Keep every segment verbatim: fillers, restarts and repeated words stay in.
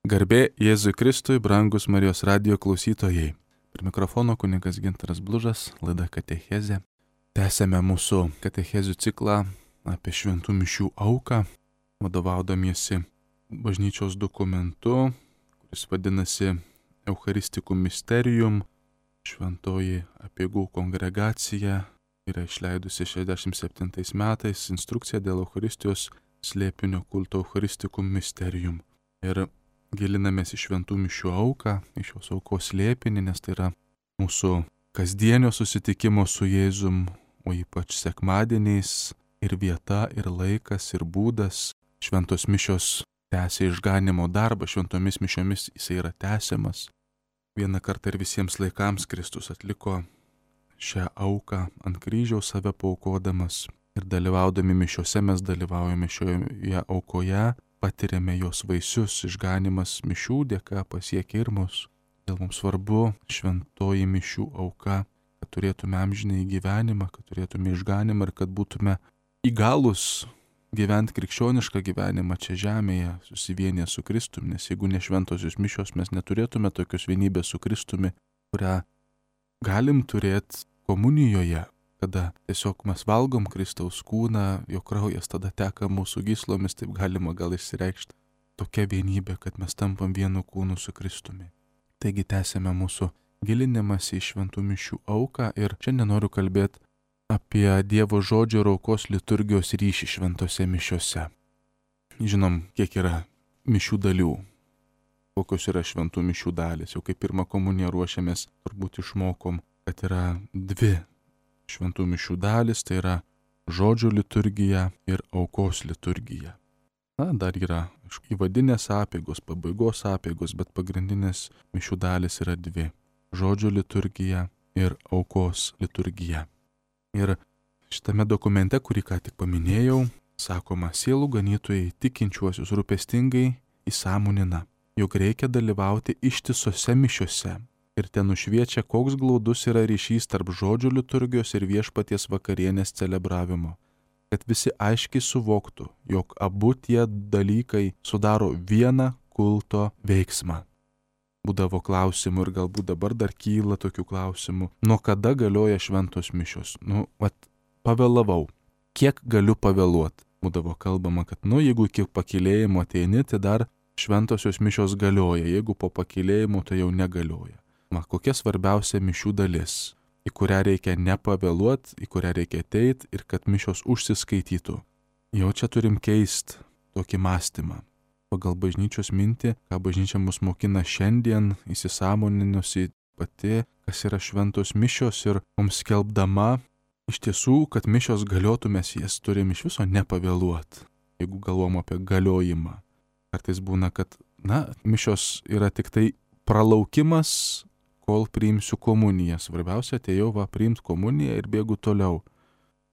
Garbė Jėzui Kristui, brangus Marijos radijo klausytojai. Prie mikrofono kunigas Gintaras Blužas, laida Katechezė. Tęsėme mūsų katechezių ciklą apie šventų mišių auką, vadovaudamiesi bažnyčios dokumentu, kuris vadinasi Eucharisticum Mysterium. Šventoji Apeigų kongregacija yra išleidusi šešiasdešimt septintais metais instrukciją dėl Eucharistijos slėpinio kulto Eucharisticum Mysterium. Ir gilinamės į šventų mišių auką, į šios aukos slėpinį, nes tai yra mūsų kasdienio susitikimo su Jėzum, o ypač sekmadieniais ir vieta, ir laikas, ir būdas. Šventos mišios tęsia išganimo darbą, šventomis mišiomis jisai yra tęsiamas. Vieną kartą ir visiems laikams Kristus atliko šią auką ant kryžiaus save paaukodamas. Ir dalyvaudami mišiose mes dalyvaujame šioje aukoje, patiriame jos vaisius, išganimas mišių dėka pasiekia ir mus. Dėl mums svarbu šventoji mišių auka, kad turėtume amžinąjį gyvenimą, kad turėtume išganimą ir kad būtume įgalus gyventi krikščionišką gyvenimą čia žemėje, susivienyje su Kristumi, nes jeigu ne šventosios mišios, mes neturėtume tokios vienybės su Kristumi, kurią galim turėti komunijoje, kada tiesiog mes valgom Kristaus kūną, jo kraujas tada teka mūsų gyslomis, taip galima gal išsireikšti tokia vienybė, kad mes tampam vienu kūnu su Kristumi. Taigi tęsėme mūsų gilinimąsi į šventų mišių auką ir šiandien noriu kalbėti apie Dievo žodžio ir aukos liturgijos ryšį šventose mišiose. Žinom, kiek yra mišių dalių, kokios yra šventų mišių dalys. Jau kaip pirmą komuniją ruošiamės, turbūt išmokom, kad yra dvi šventų mišių dalis, tai yra žodžio liturgija ir aukos liturgija. Na, dar yra įvadinės apeigos, pabaigos apeigos, bet pagrindinės mišių dalis yra dvi - žodžio liturgija ir aukos liturgija. Ir šitame dokumente, kurį ką tik paminėjau, sakoma, sielų ganytojai tikinčiuosius rūpestingai įsąmonina, jog reikia dalyvauti ištisose mišiose. Ir ten nušviečia, koks glaudus yra ryšys tarp žodžio liturgijos ir viešpaties vakarienės celebravimo. Kad visi aiškiai suvoktų, jog abu tie dalykai sudaro vieną kulto veiksmą. Būdavo klausimų ir galbūt dabar dar kyla tokių klausimų. Nuo kada galioja šventos mišios? Nu, vat, pavėlavau. Kiek galiu pavėluoti? Būdavo kalbama, kad, nu, jeigu iki pakylėjimo ateini, tai dar šventosios mišios galioja. Jeigu po pakylėjimo, tai jau negalioja. Kokia svarbiausia mišių dalis, į kurią reikia nepavėluoti, į kurią reikia ateiti ir kad mišios užsiskaitytų. Jau čia turim keisti tokį mąstymą. Pagal bažnyčios mintį, ką bažnyčia mus mokina šiandien, įsisąmoninusi pati, kas yra šventos mišios ir mums skelbdama, iš tiesų, kad mišios galiotų, mes jas turim iš viso nepavėluoti, jeigu galvom apie galiojimą. Kartais būna, kad, na, mišios yra tik tai pralaukimas, kol priimsiu komuniją. Svarbiausia, atėjau va priimti komuniją ir bėgu toliau.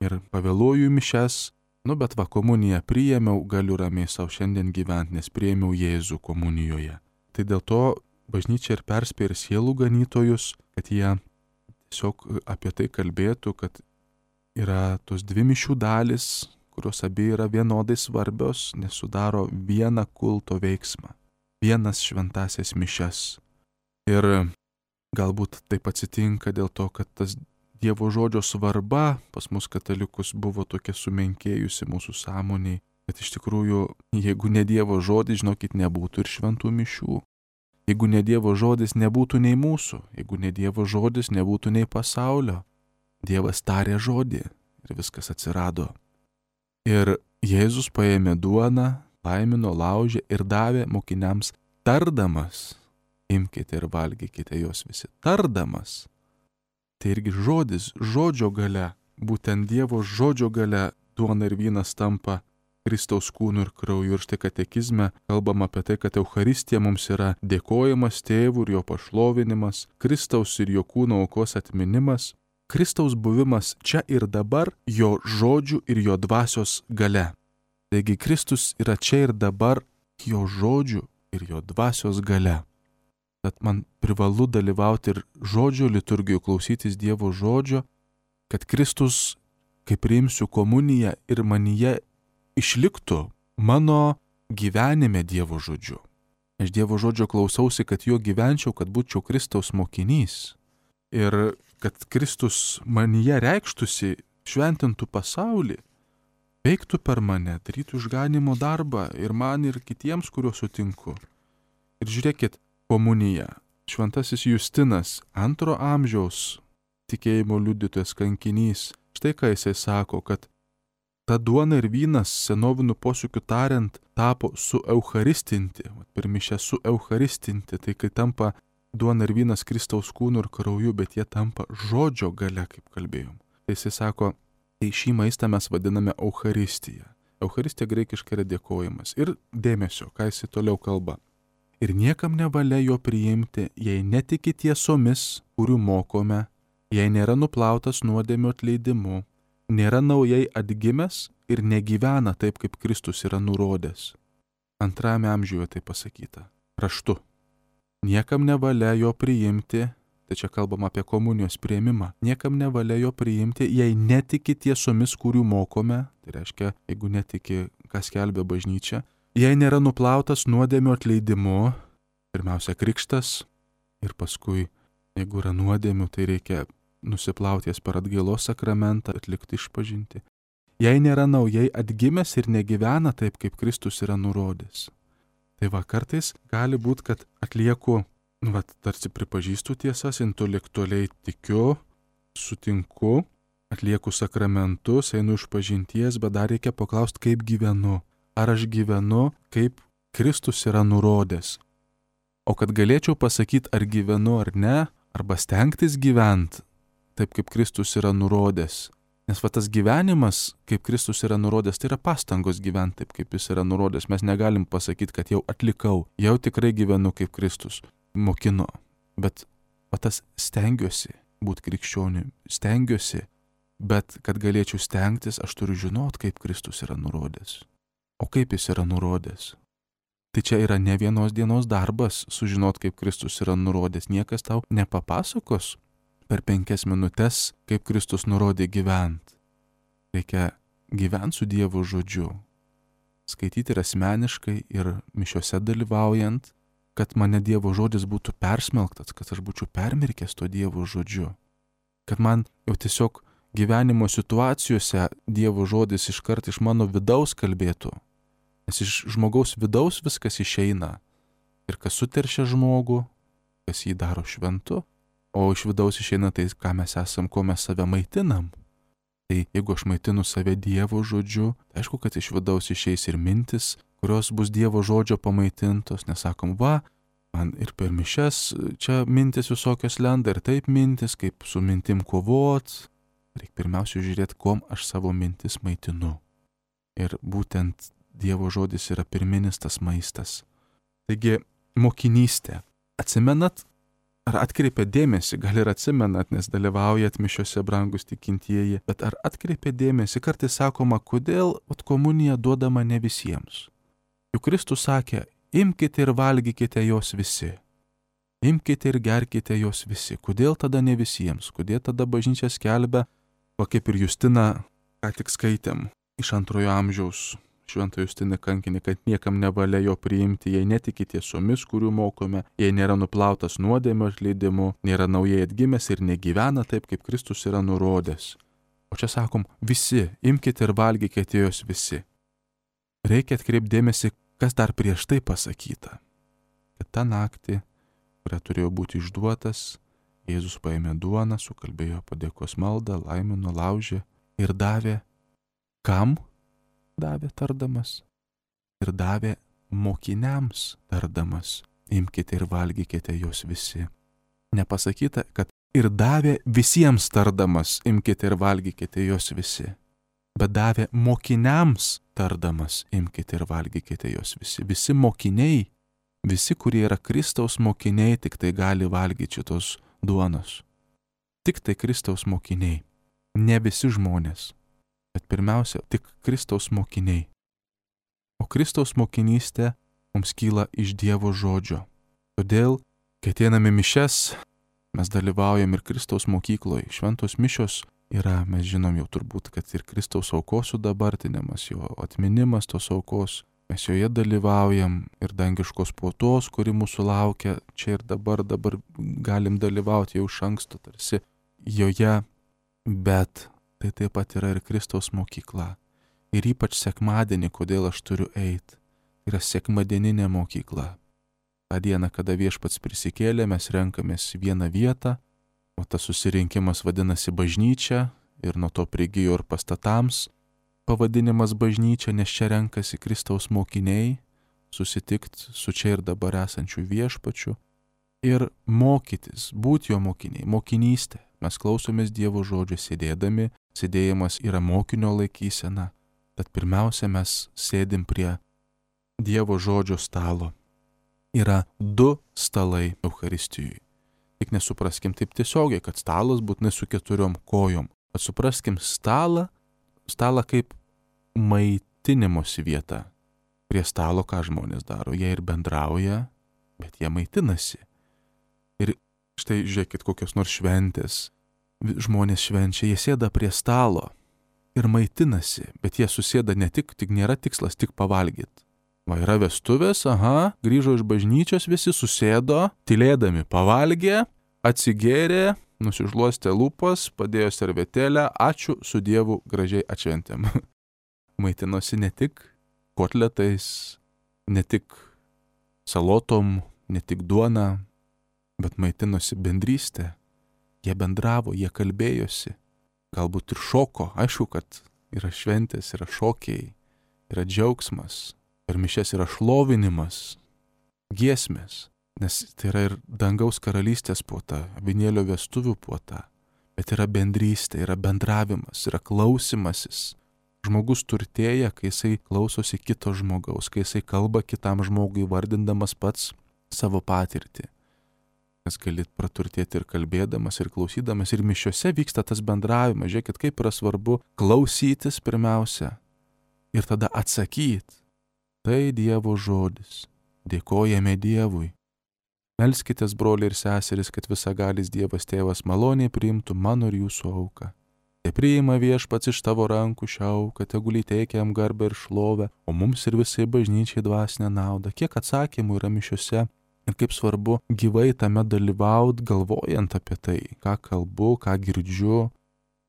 Ir pavėluoju mišes, nu bet va komuniją priėmiau, galiu ramiai savo šiandien gyventi, nes priėmiau Jėzų komunijoje. Tai dėl to bažnyčia ir perspėja ir sielų ganytojus, kad jie tiesiog apie tai kalbėtų, kad yra tos dvi mišių dalis, kurios abi yra vienodai svarbios, nes sudaro vieną kulto veiksmą, vienas šventasias mišes. Ir galbūt taip atsitinka dėl to, kad tas Dievo žodžio svarba pas mus katalikus buvo tokia sumenkėjusi mūsų sąmoniai, kad iš tikrųjų, jeigu ne Dievo žodis, žinokit, nebūtų ir šventų mišių. Jeigu ne Dievo žodis, nebūtų nei mūsų. Jeigu ne Dievo žodis, nebūtų nei pasaulio. Dievas tarė žodį ir viskas atsirado. Ir Jėzus paėmė duoną, laimino, laužė ir davė mokiniams tardamas. Imkite ir valgykite jos visi. Tardamas. Tai irgi žodis, žodžio galia, būtent Dievo žodžio galia duona ir vynas tampa Kristaus kūnu ir krauju. Ir štai katekizme kalbam apie tai, kad Eucharistija mums yra dėkojimas Tėvui ir jo pašlovinimas, Kristaus ir jo kūno aukos atminimas, Kristaus buvimas čia ir dabar jo žodžių ir jo dvasios galia. Taigi Kristus yra čia ir dabar jo žodžių ir jo dvasios galia. Tad man privalu dalyvauti ir žodžio liturgijoje, klausytis Dievo žodžio, kad Kristus, kai priimsiu komuniją ir manyje išliktų mano gyvenime Dievo žodžiu. Aš Dievo žodžio klausausi, kad jo gyvenčiau, kad būčiau Kristaus mokinys. Ir kad Kristus manyje reikštųsi, šventintų pasaulį, veiktų per mane, darytų išganimo darbą ir man, ir kitiems, kuriuos sutinku. Ir žiūrėkit, komunija. Šventasis Justinas, antro amžiaus tikėjimo liudytojas, kankinys. Štai ką jisai sako, kad ta duona ir vynas, senoviniu posakiu tariant, tapo sueucharistinti. Per mišę sueucharistinti, tai kai tampa duona ir vynas Kristaus kūnu ir krauju, bet jie tampa žodžio gale, kaip kalbėjom. Tai jisai sako, tai šį maistą mes vadiname Eucharistija. Eucharistija graikiškai yra dėkojimas. Ir dėmesio, ką jisai toliau kalba. Ir niekam nevalia jo priimti, jei netiki tiesomis, kurių mokome, jei nėra nuplautas nuodėmio atleidimu, nėra naujai atgimęs ir negyvena taip, kaip Kristus yra nurodęs. Antrame amžiuje tai pasakyta. Raštu. Niekam nevalia jo priimti, tai čia kalbam apie komunijos priėmimą, niekam nevalia jo priimti, jei netiki tiesomis, kurių mokome, tai reiškia, jeigu netiki, kas skelbia bažnyčia, jei nėra nuplautas nuodėmio atleidimu, pirmiausia krikštas, ir paskui, jeigu yra nuodėmių, tai reikia nusiplauties per atgailos sakramentą, atlikti išpažinti. Jei nėra naujai atgimęs ir negyvena taip, kaip Kristus yra nurodęs. Tai va, kartais gali būti, kad atlieku, nu, va, tarsi pripažįstu tiesas, intelektualiai tikiu, sutinku, atlieku sakramentus, einu išpažinties, bet dar reikia paklausti, kaip gyvenu. Ar aš gyvenu, kaip Kristus yra nurodęs. O kad galėčiau pasakyti, ar gyvenu ar ne, arba stengtis gyventi taip, kaip Kristus yra nurodęs. Nes va tas gyvenimas, kaip Kristus yra nurodęs, tai yra pastangos gyventi taip, kaip jis yra nurodęs. Mes negalim pasakyti, kad jau atlikau, jau tikrai gyvenu, kaip Kristus mokino. Bet va tas stengiuosi būti krikščioniu, stengiuosi, bet kad galėčiau stengtis, aš turiu žinot, kaip Kristus yra nurodęs. O kaip jis yra nurodęs? Tai čia yra ne vienos dienos darbas sužinot, kaip Kristus yra nurodęs. Niekas tau nepapasakos per penkias minutės, kaip Kristus nurodė gyventi. Reikia gyventi su Dievo žodžiu. Skaityti ir asmeniškai, ir mišiose dalyvaujant, kad mane Dievo žodis būtų persmelktas, kad aš būčiau permirkęs to Dievo žodžiu. Kad man jau tiesiog gyvenimo situacijose Dievo žodis iškart iš mano vidaus kalbėtų. Nes iš žmogaus vidaus viskas išeina. Ir kas suteršia žmogų, kas jį daro šventu, o iš vidaus išeina tai, ką mes esam, ko mes save maitinam. Tai jeigu aš maitinu save Dievo žodžiu, tai aišku, kad iš vidaus išeis ir mintis, kurios bus Dievo žodžio pamaitintos, nesakom, va, man ir per mišias čia mintis visokios lenda, ir taip mintis, kaip su mintim kovot. Reikia pirmiausia žiūrėti, kom aš savo mintis maitinu. Ir būtent Dievo žodis yra pirminis tas maistas. Taigi, mokinystė. Atsimenat, ar atkreipia dėmesį, gal ir atsimenat, nes dalyvaujat mišiose, brangus tikintieji, bet ar atkreipia dėmesį, kartais sakoma, kodėl ot komunija duodama ne visiems. Juk Kristus sakė, imkite ir valgykite jos visi. Imkite ir gerkite jos visi. Kodėl tada ne visiems? Kodėl tada bažnyčia skelbia, o kaip ir Justina, ką tik skaitėm, iš antrojo amžiaus šventą Justiną kankinį, kad niekam nevalia jo priimti, jei netiki tiesomis, kurių mokome, jei nėra nuplautas nuodėmio atleidimu, nėra naujai atgimęs ir negyvena taip, kaip Kristus yra nurodęs. O čia sakom, visi, imkite ir valgykite jos visi. Reikia atkreipti dėmesį, kas dar prieš tai pasakyta. Kad tą naktį, kurią turėjo būti išduotas, Jėzus paėmė duoną, sukalbėjo padėkos maldą, laimino, laužė ir davė. Kam davė tardamas? Ir davė mokiniams tardamas. Imkite ir valgykite jos visi. Nepasakyta, kad ir davė visiems tardamas, imkite ir valgykite jos visi. Bet davė mokiniams tardamas, imkite ir valgykite jos visi. Visi mokiniai, visi, kurie yra Kristaus mokiniai, tik tai gali valgyti šitos duonos. Tik tai Kristaus mokiniai. Ne visi žmonės. Bet pirmiausia, tik Kristaus mokiniai. O Kristaus mokinystė mums kyla iš Dievo žodžio. Todėl, kai ateiname mišias, mes dalyvaujam ir Kristaus mokykloje. Šventos mišios yra, mes žinom jau turbūt, kad ir Kristaus aukos sudabartinimas, jo atminimas tos aukos. mes joje dalyvaujam ir dangiškos puotos, kuri mūsų laukia čia ir dabar, dabar galim dalyvauti jau iš anksto tarsi joje, bet tai taip pat yra ir Kristaus mokykla. Ir ypač sekmadienį, kodėl aš turiu eiti, yra sekmadieninė mokykla. Ta diena, kada Viešpats prisikėlė, mes renkamės vieną vietą, o tas susirinkimas vadinasi bažnyčia ir nuo to prigijo ir pastatams pavadinimas bažnyčia, nes čia renkasi Kristaus mokiniai susitikti su čia ir dabar esančiu Viešpačiu ir mokytis, būti jo mokiniai, mokinystė. Mes klausomės Dievo žodžio sėdėdami, sėdėjimas yra mokinio laikysena, tad pirmiausia mes sėdim prie Dievo žodžio stalo. Yra du stalai Eucharistijui. Tik nesupraskim taip tiesiogiai, kad stalas būtinai su keturiom kojom. Bet supraskim stalą, stalą kaip maitinimosi vieta. Prie stalo ką žmonės daro? Jie ir bendrauja, bet jie maitinasi. Ir štai žiūrėkit kokios nors šventės. Žmonės švenčia, jie sėda prie stalo ir maitinasi, bet jie susėda ne tik, tik nėra tikslas tik pavalgyti. Va, yra vestuvės, aha, grįžo iš bažnyčios, visi susėdo, tylėdami pavalgė, atsigėrė, nusižluostė lūpas, padėjo servetėlę, ačiū, su Dievu gražiai atšventėm. Maitinosi ne tik kotletais, ne tik salotom, ne tik duona, bet maitinosi bendrystė. Jie bendravo, jie kalbėjosi, galbūt ir šoko, aišku, kad yra šventės, yra šokiai, yra džiaugsmas. Ir mišes yra šlovinimas, giesmės, nes tai yra ir dangaus karalystės puota, avinėlio vestuvių puota, bet yra bendrystė, yra bendravimas, yra klausimasis. Žmogus turtėja, kai jisai klausosi kito žmogaus, kai jisai kalba kitam žmogui, vardindamas pats savo patirtį. Nes gali praturtėti ir kalbėdamas, ir klausydamas, ir mišiose vyksta tas bendravimas. Žiūrėkit, kaip yra svarbu klausytis pirmiausia ir tada atsakyti. Tai Dievo žodis. Dėkojame Dievui. Melskitės, broliai ir seserys, kad visagalis Dievas Tėvas maloniai priimtų mano ir jūsų auką. Te priima Viešpats iš tavo rankų šią auką, tegul įteikia jam garbę ir šlovę, o mums ir visai bažnyčiai dvasinę naudą. Kiek atsakymų yra mišiose ir kaip svarbu gyvai tame dalyvaut, galvojant apie tai, ką kalbu, ką girdžiu.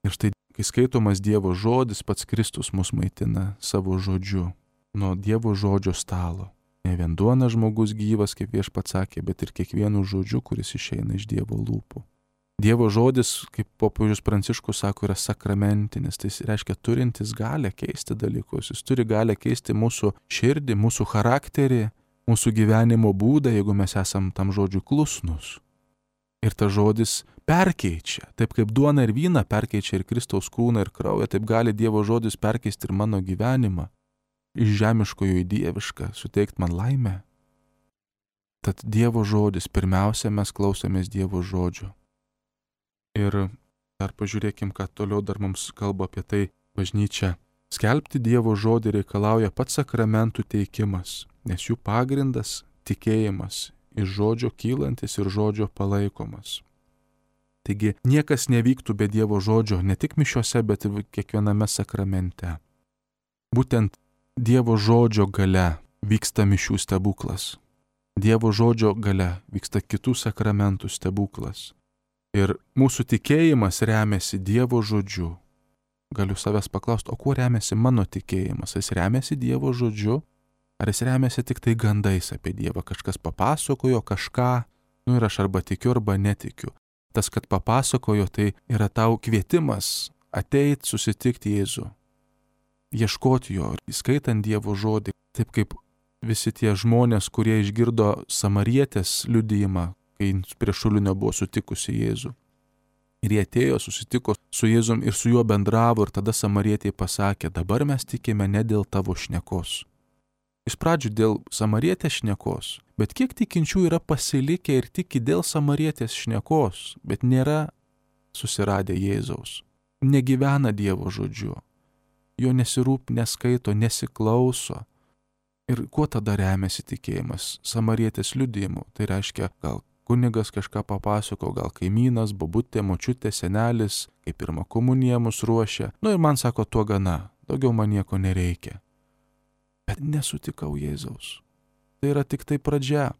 Ir štai, kai skaitomas Dievo žodis, pats Kristus mus maitina savo žodžiu. Nuo Dievo žodžio stalo. Ne vien duona žmogus gyvas, kaip Viešpats sakė, bet ir kiekvienu žodžiu, kuris išeina iš Dievo lūpų. Dievo žodis, kaip popiežius Pranciškus sako, yra sakramentinis, tai reiškia turintis galę keisti dalykus. Jis turi galę keisti mūsų širdį, mūsų charakterį, mūsų gyvenimo būdą, jeigu mes esam tam žodžiui klusnus. Ir tas žodis perkeičia, taip kaip duona ir vyną perkeičia ir Kristaus kūną ir kraują, taip gali Dievo žodis perkeisti ir mano gyvenimą. Iš žemiškojo į dievišką, suteikti man laimę. Tad Dievo žodis, pirmiausia, mes klausomės Dievo žodžio. Ir dar pažiūrėkim, ką toliau dar mums kalba apie tai bažnyčia. Skelbti Dievo žodį reikalauja pats sakramentų teikimas, nes jų pagrindas tikėjimas, iš žodžio kylantis ir žodžio palaikomas. Taigi niekas nevyktų be Dievo žodžio, ne tik mišiuose, bet ir kiekviename sakramente. Būtent Dievo žodžio gale vyksta mišių stebuklas. Dievo žodžio gale vyksta kitų sakramentų stebuklas. Ir mūsų tikėjimas remiasi Dievo žodžiu. Galiu savęs paklausti, o kuo remiasi mano tikėjimas? Jis remiasi Dievo žodžiu? Ar jis remiasi tik tai gandais apie Dievą? Kažkas papasakojo kažką, nu ir aš arba tikiu, arba netikiu. Tas, kad papasakojo, tai yra tau kvietimas ateit susitikti Jėzų. Ieškoti jo, įskaitant Dievo žodį, taip kaip visi tie žmonės, kurie išgirdo samarietės liudijimą, kai prie šulinio buvo sutikusi Jėzų. Ir jie atėjo, susitiko su Jėzum ir su juo bendravo ir tada samarietė pasakė, dabar mes tikime ne dėl tavo šnekos. Iš pradžių dėl samarietės šnekos, bet kiek tikinčių yra pasilikę ir tiki dėl samarietės šnekos, bet nėra susiradę Jėzaus, negyvena Dievo žodžiu. Jo nesirūp, neskaito, nesiklauso. Ir kuo tada remiasi tikėjimas? Samarietės liudijimu. Tai reiškia, gal kunigas kažką papasako, gal kaimynas, bobutė, močiutė, senelis, kaip pirmą komuniją mus ruošia. Nu ir man sako, tuo gana, daugiau man nieko nereikia. bet nesutikau Jėzaus. Tai yra tik tai pradžia.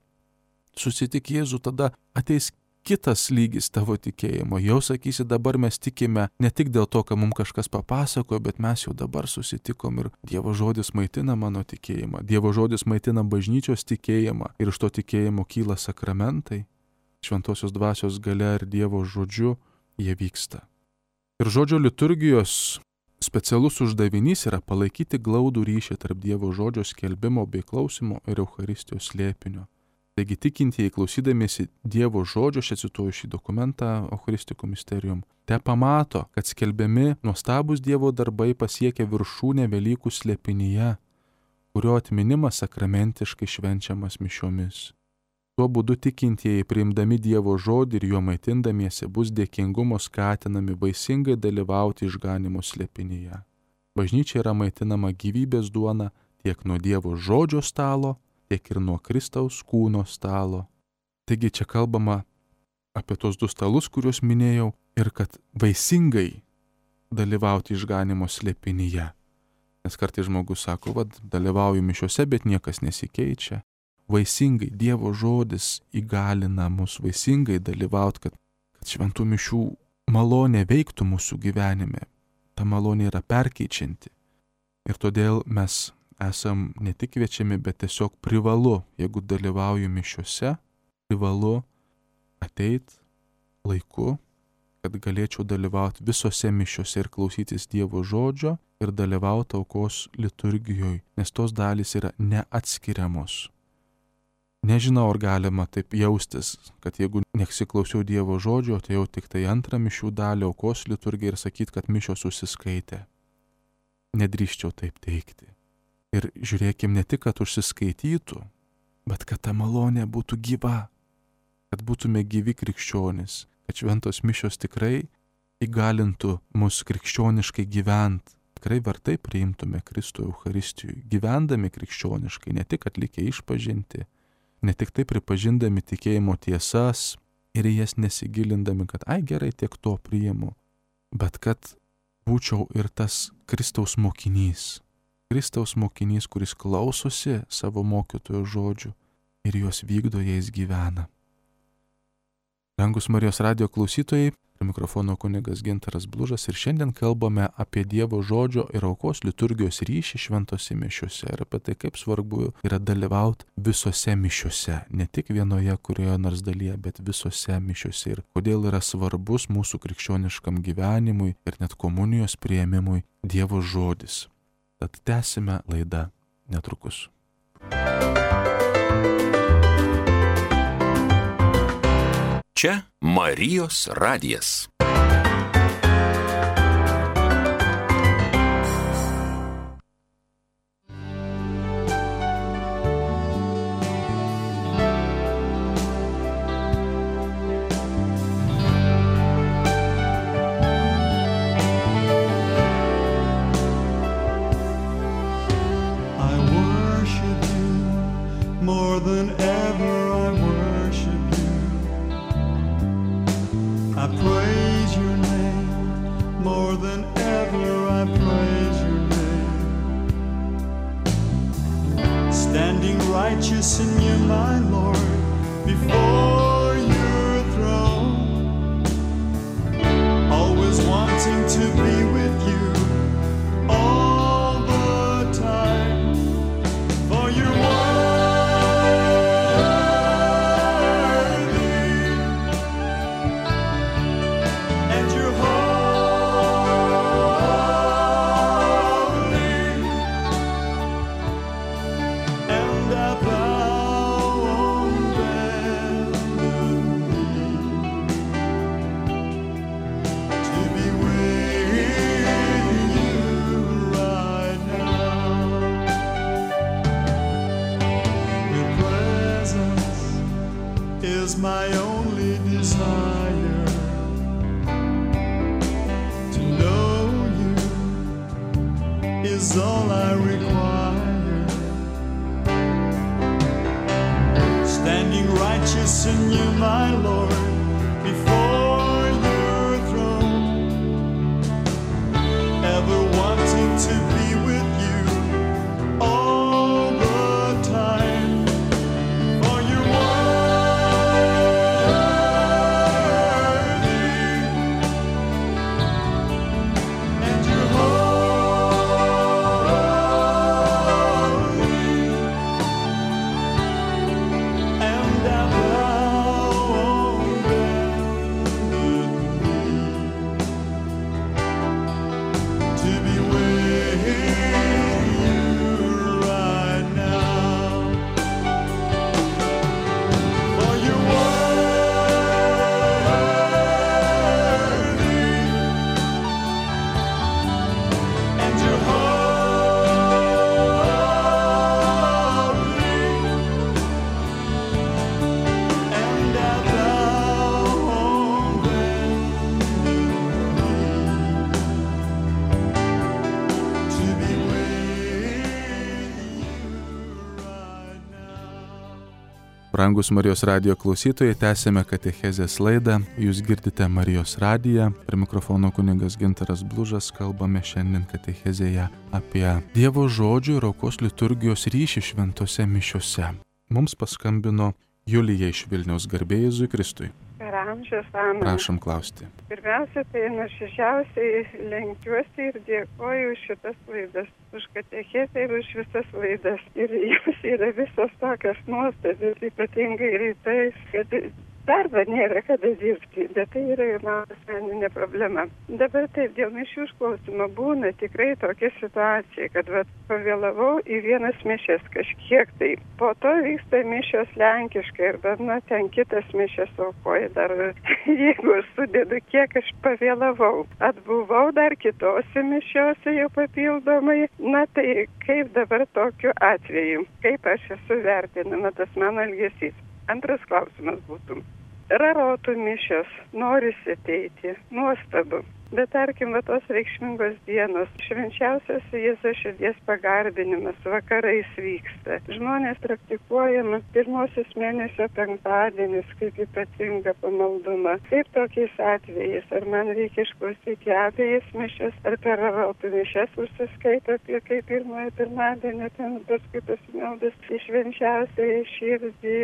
Susitik Jėzų, tada ateis kitas lygis tavo tikėjimo. Jau sakysi, dabar mes tikime ne tik dėl to, kad mums kažkas papasakojo, bet mes jau dabar susitikom ir Dievo žodis maitina mano tikėjimą. Dievo žodis maitina bažnyčios tikėjimą ir iš to tikėjimo kyla sakramentai. Šventosios dvasios galia ir Dievo žodžiu jie vyksta. Ir žodžio liturgijos specialus uždavinys yra palaikyti glaudų ryšį tarp Dievo žodžio skelbimo bei klausimo ir Eucharistijos slėpinio. Taigi tikintieji, klausydamiesi Dievo žodžio, aš cituoju šį dokumentą Eucharistikum Mysterium, te pamato, kad skelbiami nuostabus Dievo darbai pasiekia viršūnę Velykų slėpinyje, kurio atminimas sakramentiškai švenčiamas mišiomis. Tuo būdu tikintieji, priimdami Dievo žodį ir juo maitindamiesi, bus dėkingumo skatinami vaisingai dalyvauti išganimo slėpinyje. Bažnyčia yra maitinama gyvybės duona tiek nuo Dievo žodžio stalo, tiek ir nuo Kristaus kūno stalo. Taigi čia kalbama apie tos du stalus, kuriuos minėjau, ir kad vaisingai dalyvauti išganimo slėpinyje. Nes kartais žmogus sako, vad, dalyvauju mišiuose, bet niekas nesikeičia. Vaisingai Dievo žodis įgalina mus vaisingai dalyvauti, kad, kad šventų mišių malonė veiktų mūsų gyvenime. Ta malonė yra perkeičianti. Ir todėl mes esam ne tik kviečiami, bet tiesiog privalu, jeigu dalyvauju mišiuose, privalu ateit laiku, kad galėčiau dalyvauti visose mišiuose ir klausytis Dievo žodžio ir dalyvauti aukos liturgijoje, nes tos dalys yra neatskiriamos. Nežinau, ar galima taip jaustis, kad jeigu nesiklausiau Dievo žodžio, tai jau tik tai antrą mišių dalį aukos liturgiją ir sakyti, kad mišios užsiskaitė. Nedrįščiau taip teikti. Ir žiūrėkim ne tik, kad užsiskaitytų, bet kad ta malonė būtų gyva, kad būtume gyvi krikščionys, kad šventos mišios tikrai įgalintų mus krikščioniškai gyvent, tikrai vertai priimtume Kristų Eucharistijui, gyvendami krikščioniškai, ne tik atlikę išpažinti, ne tik tai pripažindami tikėjimo tiesas ir į jas nesigilindami, kad ai gerai tiek to priimu, bet kad būčiau ir tas Kristaus mokinys. Kristaus mokinys, kuris klausosi savo mokytojo žodžių ir juos vykdo, jais gyvena. Brangus Marijos radijo klausytojai, prie mikrofono kunigas Gintaras Blužas ir šiandien kalbame apie Dievo žodžio ir aukos liturgijos ryšį šventose mišiuose ir apie tai, kaip svarbu yra dalyvauti visose mišiuose, ne tik vienoje kurioje nors dalyje, bet visose mišiuose ir kodėl yra svarbus mūsų krikščioniškam gyvenimui ir net komunijos priėmimui Dievo žodis. Tad tęsime laidą netrukus. Čia Marijos radijas. Righteous in you, my Lord, before your throne, always wanting to be with you all the time, for you're worthy, and you're holy, and I is my only desire, to know you is all I require, standing righteous in you, my Lord, before your throne, ever wanting to be with you all Brangus Marijos radijo klausytojai, tęsėme katechezės laidą. Jūs girdite Marijos radiją. Prie mikrofono kunigas Gintaras Blužas. Kalbame šiandien katechezėje apie Dievo žodžio ir aukos liturgijos ryšį šventose mišiose. Mums paskambino Julija iš Vilniaus. Garbė Jėzui Kristui. Per amžius, amen. Prašom klausti. Pirmiausia, tai nuoširdžiausiai lenkiuosi ir dėkoju už šitas laidas, už katechezę ir už visas laidas. Ir jos yra visos tokios nuostabios, ypatingai rytais, kad darbo nėra kada dirbti, bet tai yra ir mano asmeninė problema. Dabar taip, dėl mišių išklausimo būna tikrai tokia situacija, kad vat, pavėlavau į vienas mišias kažkiek tai. Po to vyksta mišios lenkiškai arba, na, ten kitas mišias aukoja dar, jeigu aš sudedu, kiek aš pavėlavau. Atbuvau dar kitose mišiose jau papildomai. Na tai kaip dabar tokiu atveju? Kaip aš esu vertinama, tas mano elgesys? Antras klausimas būtų. Rarotų mišios, norisi ateiti, nuostabu. Bet tarkim, va tos reikšmingos dienos, švenčiausias Jėzaus širdies pagarbinimas vakarais vyksta. Žmonės praktikuojama pirmosios mėnesio penktadienis kaip ypatinga pamaldumą. Kaip tokiais atvejais, ar man reikia išklausyti abejas mišias, ar per rarotų mišias užsiskaito apie kaip pirmojo pirmadienio, ten paskui pasimeldas į švenčiausią širdį,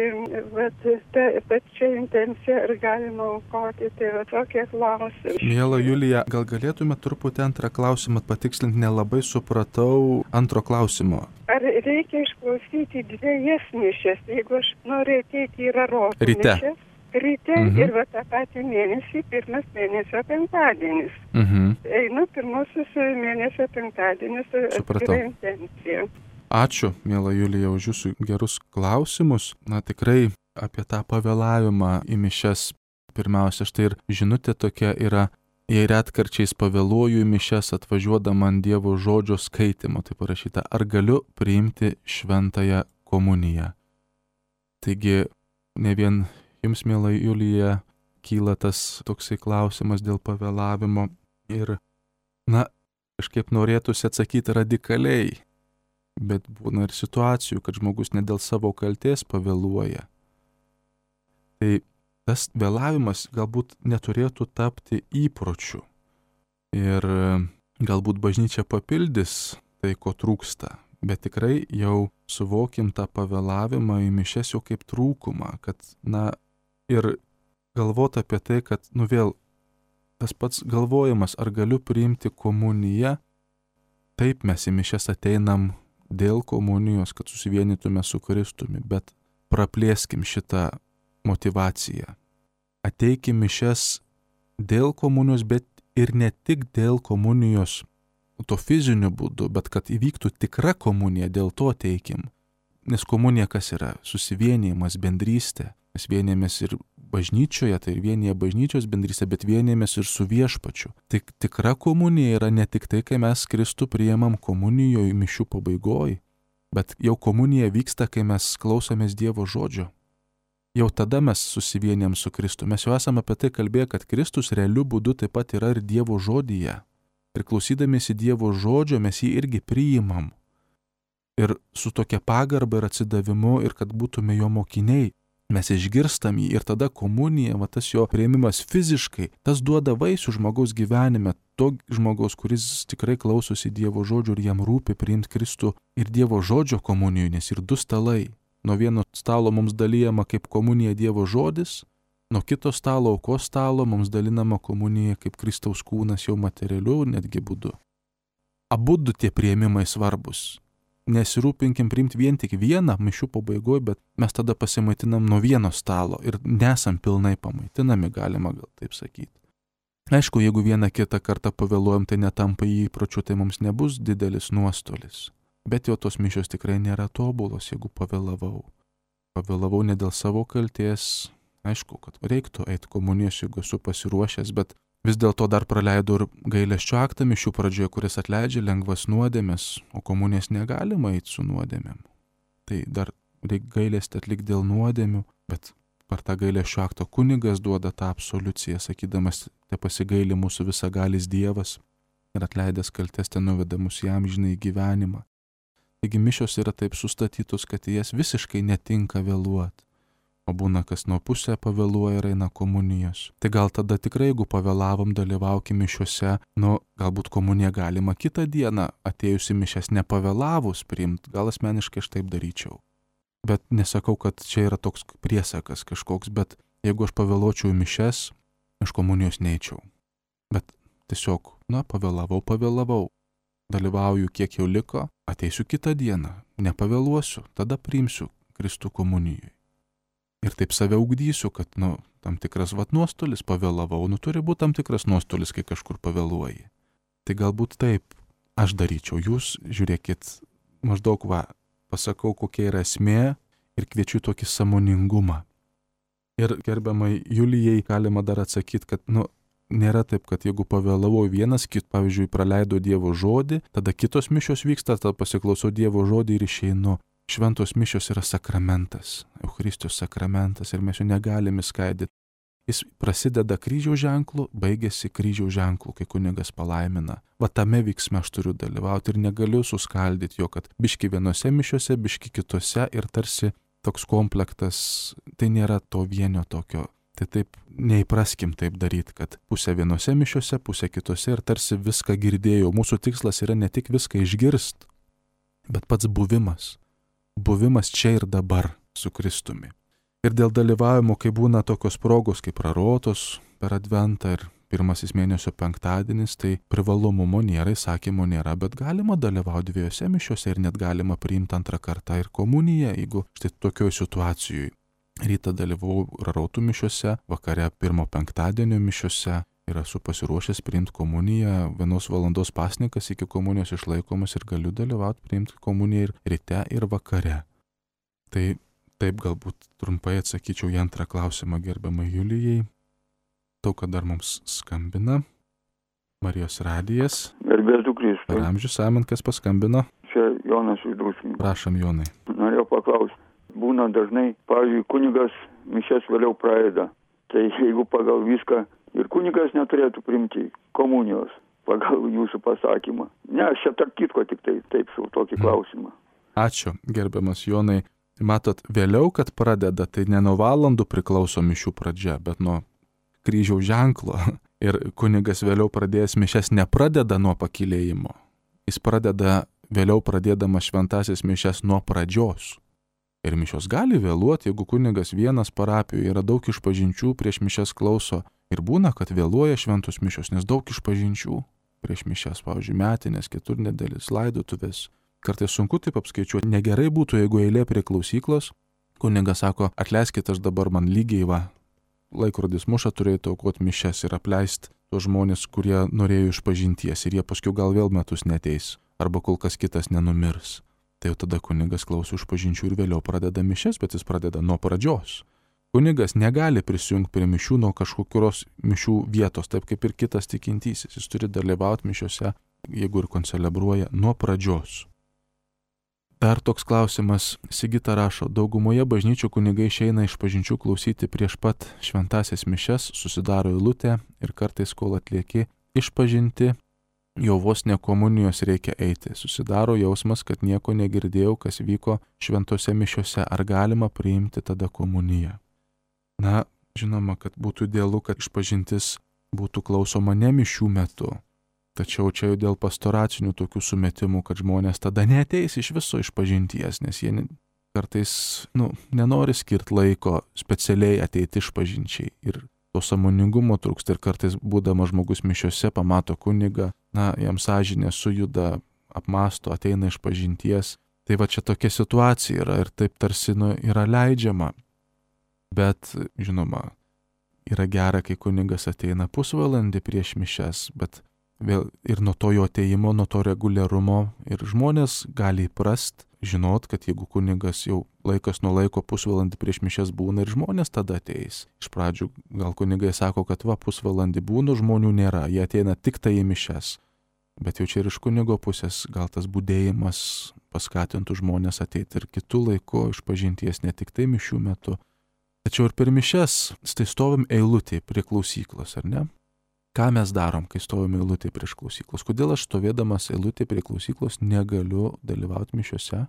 vat ta pačia intencija, ar galima aukoti, tai va tokie klausimai. Miela Julija, gal galėtume truputį antrą klausimą patikslinti, nelabai supratau antro klausimo. Ar reikia išklausyti dviejas mišias, jeigu aš noriu ateiti į rarotų mišias? Ryte mhm. ir va tą patį mėnesį, pirmas mėnesio penktadienis. Mhm. Einu pirmosius mėnesio penktadienis atskira intencija. Ačiū, miela Julija, už jūsų gerus klausimus. Na tikrai apie tą pavėlavimą į mišias. Pirmiausia, štai ir žinutė tokia yra, jei retkarčiais pavėluoju į mišias atvažiuodama ant Dievo žodžio skaitimo, tai parašyta, ar galiu priimti šventąją komuniją. Taigi, ne vien jums, miela Julija, kyla tas toksai klausimas dėl pavėlavimo ir, na, kažkaip norėtųsi atsakyti radikaliai, bet būna ir situacijų, kad žmogus ne dėl savo kaltės pavėluoja. Tai tas vėlavimas galbūt neturėtų tapti įpročiu. Ir galbūt bažnyčia papildys tai, ko trūksta. Bet tikrai jau suvokim tą pavėlavimą į mišias jau kaip trūkumą. Kad, na, ir galvot apie tai, kad, nu vėl, tas pats galvojimas, ar galiu priimti komuniją. Taip, mes į mišias ateinam dėl komunijos, kad susivienytume su Kristumi. Bet praplėskim šitą motivacija. Ateikim mišias dėl komunijos, bet ir ne tik dėl komunijos to fiziniu būdu, bet kad įvyktų tikra komunija, dėl to ateikim. Nes komunija kas yra? Susivienijimas, bendrystė. Mes vienėmės ir bažnyčioje, tai vienyje bažnyčios bendrystė, bet vienėmės ir su viešpačiu. Tik tikra komunija yra ne tik tai, kai mes Kristų priimam komunijoje mišių pabaigoj, bet jau komunija vyksta, kai mes klausomės Dievo žodžio. Jau tada mes susivienėm su Kristu. Mes jau esame apie tai kalbėję, kad Kristus realiu būdu taip pat yra ir Dievo žodyje. Ir klausydamiesi Dievo žodžio mes jį irgi priimam. Ir su tokia pagarba ir atsidavimu, ir kad būtume jo mokiniai, mes išgirstam jį. Ir tada komunija, va tas jo priėmimas fiziškai, tas duoda vaisių žmogaus gyvenime. To žmogaus, kuris tikrai klausosi Dievo žodžio ir jam rūpi priimti Kristų ir Dievo žodžio komunijų, nes ir du stalai. Nuo vieno stalo mums dalyjama kaip komunija Dievo žodis, nuo kito stalo, aukos stalo, mums dalinama komunija kaip Kristaus kūnas jau materialiu netgi būdu. Abudu tie priėmimai svarbus. Nesirūpinkim priimti vien tik vieną mišių pabaigoje, bet mes tada pasimaitinam nuo vieno stalo ir nesam pilnai pamaitinami, galima gal taip sakyti. Aišku, jeigu vieną kitą kartą pavėluojam, tai netampa įpročiu, tai mums nebus didelis nuostolis. Bet jau tos mišios tikrai nėra tobulos, jeigu pavėlavau. Pavėlavau ne dėl savo kalties. Aišku, kad reiktų eiti komunijos, jeigu esu pasiruošęs, bet vis dėlto dar praleidau ir gailesčio aktą mišių pradžioje, kuris atleidžia lengvas nuodėmes, o komunijas negalima eiti su nuodėmėm. Tai dar reikia gailestį atlikti dėl nuodėmių, bet per tą gailesčio aktą kunigas duoda tą absoliuciją, sakydamas, te pasigaili mūsų visagalis Dievas ir atleidęs kaltes ten nuveda mus į amžinąjį gyvenimą. Taigi mišios yra taip sustatytos, kad jas visiškai netinka vėluoti. o būna kas nuo pusę pavėluoja ir eina komunijos. Tai gal tada tikrai, jeigu pavėlavom, dalyvaukim mišiuose, nu, galbūt komuniją galima kitą dieną atėjusi mišias nepavėlavus priimti, gal asmeniškai aš taip daryčiau. Bet nesakau, kad čia yra toks priesakas kažkoks, bet jeigu aš pavėluočiau į mišias, aš komunijos neičiau. Bet tiesiog, na, pavėlavau, pavėlavau. Dalyvauju kiek jau liko, ateisiu kitą dieną, nepavėluosiu, tada priimsiu Kristų komunijai. Ir taip save ugdysiu, kad, nu, tam tikras vat nuostolis pavėlavau, nu turi būti tam tikras nuostolis, kai kažkur pavėluoji. Tai galbūt taip aš daryčiau, jūs žiūrėkit, maždaug va, pasakau, kokia yra esmė ir kviečiu tokį sąmoningumą. Ir gerbiamai Julijai galima dar atsakyti, kad, nu, nėra taip, kad jeigu pavėlavau vienas, kit, pavyzdžiui, praleido Dievo žodį, tada kitos mišios vyksta, tada pasiklausau Dievo žodį ir išeinu. Šventos mišios yra sakramentas, Eucharistijos sakramentas ir mes jo negalime skaidyti. Jis prasideda kryžiaus ženklu, baigėsi kryžiaus ženklu, kai kunigas palaimina. Va tame veiksme aš turiu dalyvauti ir negaliu suskaldyti jo, kad biški vienose mišiose, biški kitose ir tarsi toks komplektas, tai nėra to vienio tokio. Tai taip neįpraskim taip daryti, kad pusę vienose mišiose, pusę kitose ir tarsi viską girdėjau. Mūsų tikslas yra ne tik viską išgirst, bet pats buvimas. Buvimas čia ir dabar su Kristumi. Ir dėl dalyvavimo, kai būna tokios progos kaip prarotos per Adventą ir pirmasis mėnesio penktadienis, tai privalomumo nėra, įsakymo nėra, bet galima dalyvauti dviejose mišiose ir net galima priimti antrą kartą ir komuniją, jeigu štai tokioj situacijoj. Rytą dalyvau prarotų mišiose, vakare pirmo penktadienio mišiose ir esu pasiruošęs priimti komuniją, vienos valandos pasnikas iki komunijos išlaikomas ir galiu dalyvauti priimti komuniją ir ryte ir vakare. Tai taip galbūt trumpai atsakyčiau į antrą klausimą gerbiamai Julijai. Tau, kad dar mums skambina. Marijos radijas. Garbėtų Kristui. Per amžius amen, kas paskambino? Čia Jonas iš Druskininkų. Prašom, Jonai. Norėjau paklausti. Būna dažnai, pavyzdžiui, kunigas mišias vėliau pradeda. Tai jeigu pagal viską ir kunigas neturėtų priimti komunijos pagal jūsų pasakymą. Ne, aš čia tarp kitko tik tai taip sau tokį klausimą. Ačiū, gerbiamas Jonai. Matot, vėliau, kad pradeda, tai ne nuo valandų priklauso mišių pradžia, bet nuo kryžiaus ženklo. Ir kunigas vėliau pradėjęs mišias nepradeda nuo pakylėjimo. Jis pradeda vėliau pradėdamas šventąsias mišias nuo pradžios. Ir mišios gali vėluoti, jeigu kunigas vienas parapijoje yra daug išpažinčių prieš mišias klauso. Ir būna, kad vėluoja šventos mišios, nes daug išpažinčių prieš mišias, pavyzdžiui, metinės, keturnedėlis, laidotuvės. Kartais sunku taip apskaičiuoti. Negerai būtų, jeigu eilė prie klausyklos, kunigas sako, atleiskit, aš dabar man lygiai va, laikrodis muša, turėtų aukoti mišias ir apleisti tos žmonės, kurie norėjo išpažinties ir jie paskui gal vėl metus neteis, arba kol kas kitas nenumirs. Tai jau tada kunigas klauso išpažinčių ir vėliau pradeda mišias, bet jis pradeda nuo pradžios. Kunigas negali prisijungti prie mišių nuo kažkokios mišių vietos, taip kaip ir kitas tikintysis. Jis turi dalyvauti mišiuose, jeigu ir koncelebruoja, nuo pradžios. Dar toks klausimas, Sigita rašo, daugumoje bažnyčių kunigai išeina išpažinčių klausyti prieš pat šventąsias mišias, susidaro eilutė ir kartais, kol atlieki išpažinti, jau vos ne komunijos reikia eiti. Susidaro jausmas, kad nieko negirdėjau, kas vyko šventose mišiose. Ar galima priimti tada komuniją? Na, žinoma, kad būtų idealu, kad išpažintis būtų klausoma ne mišių metu. Tačiau čia jau dėl pastoracinių tokių sumetimų, kad žmonės tada neateis iš viso išpažinties, nes jie kartais, nu, nenori skirti laiko specialiai ateiti išpažinčiai. Ir to sąmoningumo trūksta ir kartais būdamas žmogus mišiose pamato kunigą, na, jam sąžinė sujuda, apmąsto, ateina iš pažinties. Tai va čia tokia situacija yra ir taip tarsi, nu, yra leidžiama. Bet, žinoma, yra gera, kai kunigas ateina pusvalandį prieš mišias, bet vėl ir nuo to jo ateimo, nuo to reguliarumo ir žmonės gali įprast, žinot, kad jeigu kunigas jau laikas nuo laiko pusvalandį prieš mišias būna ir žmonės tada ateis. Iš pradžių gal kunigai sako, kad va pusvalandį būna, žmonių nėra, jie ateina tik tai į mišias. Bet jau čia ir iš kunigo pusės gal tas budėjimas paskatintų žmonės ateiti ir kitų laikų išpažinties, ne tik tai mišių metu. Tačiau ir per mišias, tai stovim eilutėje prie klausyklos, ar ne? Ką mes darom, kai stovime eilutėje prieš klausyklos? Kodėl aš stovėdamas eilutėje prie klausyklos negaliu dalyvauti mišiuose?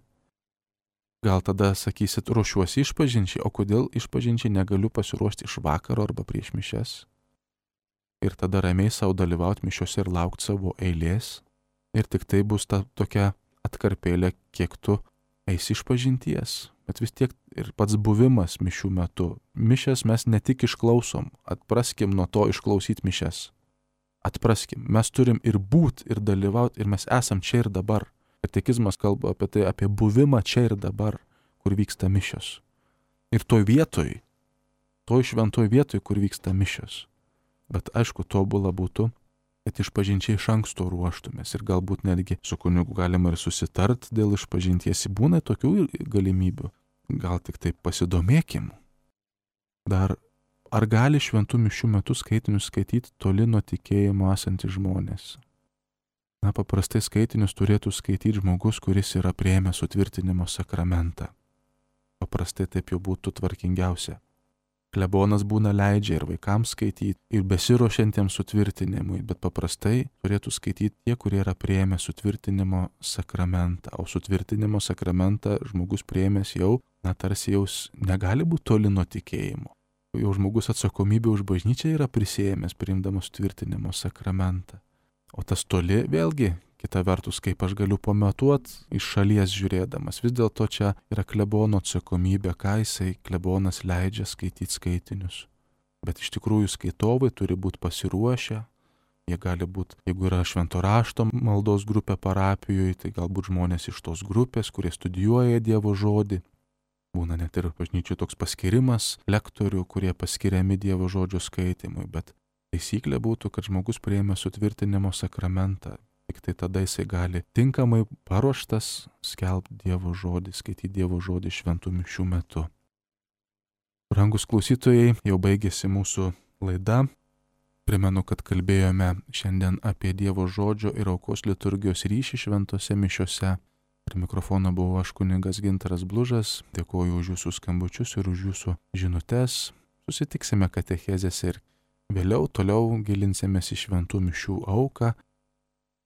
Gal tada sakysit, ruošiuosi išpažinčiai, o kodėl išpažinčiai negaliu pasiruošti iš vakaro arba prieš mišias? Ir tada ramiai savo dalyvauti mišiuose ir laukti savo eilės. Ir tik tai bus ta tokia atkarpėlė, kiek tu eisi išpažinties. Bet vis tiek ir pats buvimas mišių metu. Mišes mes ne tik išklausom, atpraskim nuo to išklausyti mišes. Atpraskim, mes turim ir būt, ir dalyvauti, ir mes esam čia ir dabar. Katekizmas kalba apie tai, apie buvimą čia ir dabar, kur vyksta mišios. Ir toj vietoj, toj šventoj vietoj, kur vyksta mišios. Bet aišku, tobula būtų, kad išpažinčiai iš anksto ruoštumės ir galbūt netgi su kunigu galima ir susitart dėl išpažinties. Būna tokių galimybių. Gal tik taip pasidomėkim. Dar, ar gali šventų mišių metu skaitinius skaityti toli nuo tikėjimo esantys žmonės? Na, paprastai skaitinius turėtų skaityti žmogus, kuris yra priėmęs sutvirtinimo sakramentą. Paprastai taip jau būtų tvarkingiausia. Klebonas būna leidžia ir vaikams skaityti, ir besiruošiantiems sutvirtinimui, bet paprastai turėtų skaityti tie, kurie yra priėmę sutvirtinimo sakramentą. O sutvirtinimo sakramentą žmogus priėmęs jau, na, tarsi jau negali būti toli nuo tikėjimo. Jau žmogus atsakomybė už bažnyčią yra prisėmęs, priimdamas sutvirtinimo sakramentą. O tas toli, vėlgi, kita vertus, kaip aš galiu pamatuoti iš šalies žiūrėdamas. Vis dėlto čia yra klebono atsakomybė, ką jisai klebonas leidžia skaityti skaitinius. Bet iš tikrųjų skaitovai turi būti pasiruošę. Jie gali būti, jeigu yra švento rašto maldos grupė parapijoje, tai galbūt žmonės iš tos grupės, kurie studijuoja Dievo žodį. Būna net ir bažnyčių toks paskirimas lektorių, kurie paskiriami Dievo žodžio skaitimui, bet taisyklė būtų, kad žmogus priėmė sutvirtinimo sakramentą. Tik tai tada jisai gali tinkamai paruoštas skelbti Dievo žodį, skaityti Dievo žodį šventų mišių metu. Brangus klausytojai, jau baigėsi mūsų laida. Primenu, kad kalbėjome šiandien apie Dievo žodžio ir aukos liturgijos ryšį šventose mišiose. Prie mikrofono buvau aš kunigas Gintaras Blužas. Dėkuoju už jūsų skambučius ir už jūsų žinutes. Susitiksime katechezėse ir vėliau toliau gilinsimės į šventų mišių auką,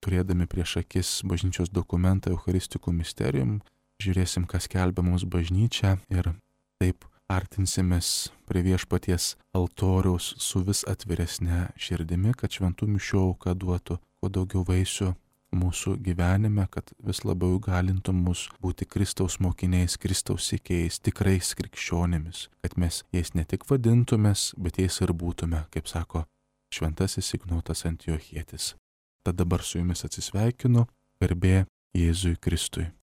turėdami prieš akis bažnyčios dokumentą Eucharistikų Mysterium, žiūrėsim, kas skelbia mums bažnyčia ir taip artinsimės prie viešpaties altoriaus su vis atviresne širdimi, kad šventų mišių auka duotų kuo daugiau vaisių mūsų gyvenime, kad vis labiau galintų mus būti Kristaus mokiniais, Kristaus sekėjais, tikrais krikščionimis, kad mes jais ne tik vadintumės, bet jais ir būtume, kaip sako šventasis Ignotas Antiochietis. Tad dabar su jumis atsisveikinu, garbė Jėzui Kristui.